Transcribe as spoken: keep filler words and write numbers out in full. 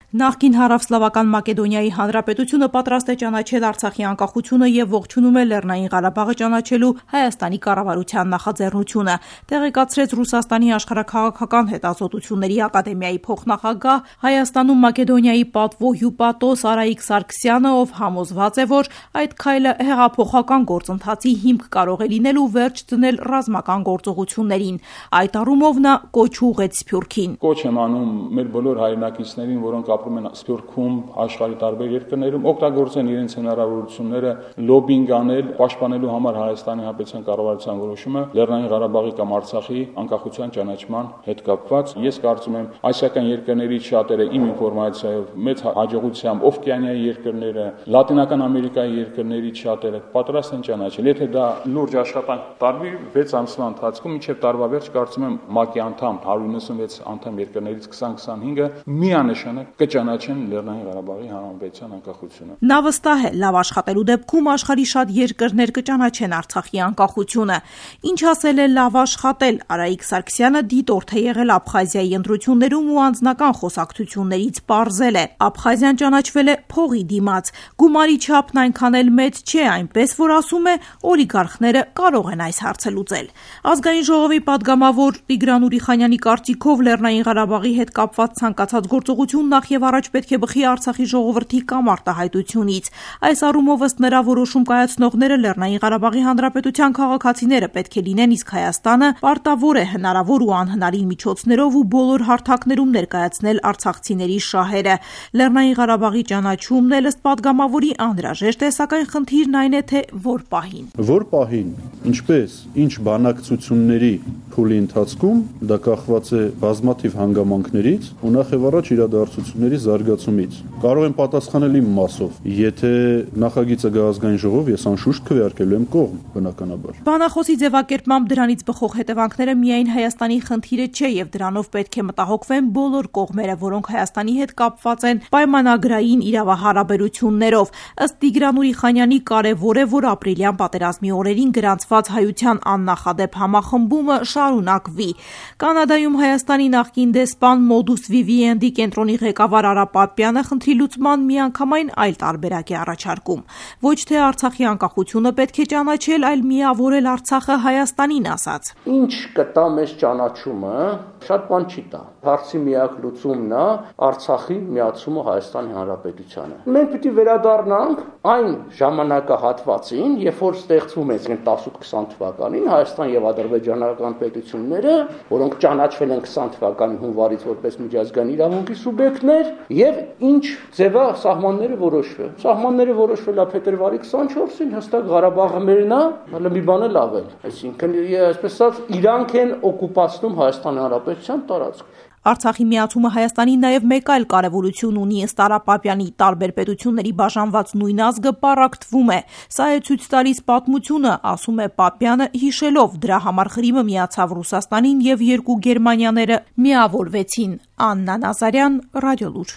Նախկին Հարավսլավական Մակեդոնիայի Հանրապետությունը պատրաստ է ճանաչել Արցախի անկախությունը եւ ողջունում է Լեռնային Ղարաբաղը ճանաչելու Հայաստանի կառավարության նախաձեռնությունը, տեղեկացրեց Ռուսաստանի աշխարհաքաղաքական հետազոտությունների ակադեմիայի փոխնախագահ, Հայաստանում Մակեդոնիայի պատվո հյուպատոս Արայիկ Սարգսյանը, ով համոզված է, որ այդ քայլը հեղափոխական գործընթացի հիմք կարող է լինել ու վերջ դնել ռազմական գործողություններին։ Այդ առումով նա կոչ ուղղեց Սփյուռքին։ Կոչ եմ անում մեր բոլոր հայրենակիցներին, որոնք ապրում են Սփյուռքում, աշխարհի տարբեր երկրներում, օգտագործեն իրենց հնարավորությունները լոբինգ անել, պաշտպանելու համար Հայաստանի Հանրապետության կառավարության որոշումը Լեռնային Ղարաբաղի կամ Արցախի անկախության ճանաչման հետ կապված։ Ես կարծում եմ, ասիական երկրներից շատերը իմ ինֆորմացիայով մեծ հաջողությամբ Օվկիանիայի երկրները, Լատինական Ամերիկայի երկրներից շատերը պատրաստ են ճանաչել։ Եթե դա լուրջ աշխատանք տարվի վեց ամսվա ընթացքում, մինչև տարվա վերջ կարծում եմ ՄԱԿ-ի անդամ հարյուր նվեցանվեց անդամ երկրներից քսան քսանհինգը միանշանակ կճանաչեն Լեռնային Ղարաբաղի Հանրապետության անկախությունը։ Նա վստահ է, լավ աշխատելու դեպքում աշխարհի շատ երկրներ կճանաչեն Արցախի անկախությունը։ Ինչ ասել է լավ աշխատել, Արայիկ Սարգսյանը դիտորդ է եղել Աբխազիայի ընտրություններում ու անձնական խոսակցություններից պարզել է։ Աբխազիան ճանաչվել է փողի դիմաց, գումարի չափն այնքան էլ մեծ չէ, այնպես որ ասում է օլիգարխները կարող են այս հարցը լուծել։ Ազգային ժողովի падգամավոր Տիգրան Ուրիխանյանի կարծիքով Լեռնային Ղարաբաղի հետ կապված ցանկացած գործողություն նախ եւ առաջ պետք է բխի Արցախի ժողովրդի կամ արտահայտությունից։ Այս առումով ըստ նրա որոշում կայացնողները Լեռնային Ղարաբաղի Հանրապետության քաղաքացիները պետք է լինեն, իսկ Հայաստանը պարտավոր է հնարավոր ու անհնարին միջոցներով ու բոլոր հարթակներում ներկայացնել արցախցիների շահերը։ Լեռնային Ղարաբաղի ճանաչումն էլ ըստ падգամավորի անհրաժեշտ է, սակայն խնդիրն այն է, թե որ պահին։ Որ պահին, ինչպես, ինչ բանակցությունների փուլի ընթացքում, դա կախված է բազմաթիվ հանգամանքներից ու նախ եւ առաջ իրադարձությունների զարգացումից։ Կարող եմ պատասխանել իմ մասով, եթե նախագիծը գա ազգային ժողով, ես անշուշտ քվեարկելու եմ կողմ, բնականաբար։ Բանախոսի ձևակերպմամբ դրանից բխող հետևանքները միայն Հայաստանի խնդիրը չէ եւ դրանով պետք է մտահոգվեն բոլոր կողմերը, որոնք Հայաստանի հետ կապված են պայմանագրային իրավահարաբերություններով։ Ըստ Տիգրան Ուրիխանյանի կարևոր է, որ ապրիլյան պատերազմի օրերին գրանցված հայության աննախադեպ համախմբումը շարունակվի։ Կանադայում Հայաստանի նախկին դեսպան Մոդուս Վիվիենդի կենտրոնի ղեկավար Արա Պապյանը խնդրի լուծման միանգամայն այլ տարբերակ է առաջարկում։ Ոչ թե Արցախի անկախությունը պետք է ճանաչել, այլ միավորել Արցախը Հայաստանին, ասաց։ Ինչ կտա մեզ ճանաչումը, շատ բան չի տա։ Հարցի միակ լուծումն է Արցախի միացումը Հայաստանի Հանրապետությանը։ Մենք պիտի վերադառնանք այն ժամանակահատվածին, երբ որ ստեղծվում է տասնութ քսան թվականին Հայաստան եւ ադրբեջանական պետությունները, որոնք ճանաչվել են քսան թվականի հունվարից որպես միջազգային իրավունքի սուբյեկտներ, եւ ինչ ձևա սահմանները որոշվել։ Սահմանները որոշվել է փետրվարի քսանչորսին, հստակ Ղարաբաղը մերն է, հələ մի բան էլ ավել։ Այսինքն, այսպես ասած, իրանք են օկուպացնում Հայաստանի Հանրապետության տարածք։ Արցախի միացումը Հայաստանին նաև մեկ այլ կարևորություն ունի, ըստ Արա Պապյանի, տարբեր պետությունների բաժանված նույն ազգը պառակտվում է։ Սա է ցույց տալիս պատմությունը, ասում է Պապյանը, հիշելով դրա համար Ղրիմը միացավ Ռուսաստանին եւ երկու Գերմանիաները միավորվեցին։ Աննա Նազարյան, Ռադիոլուր։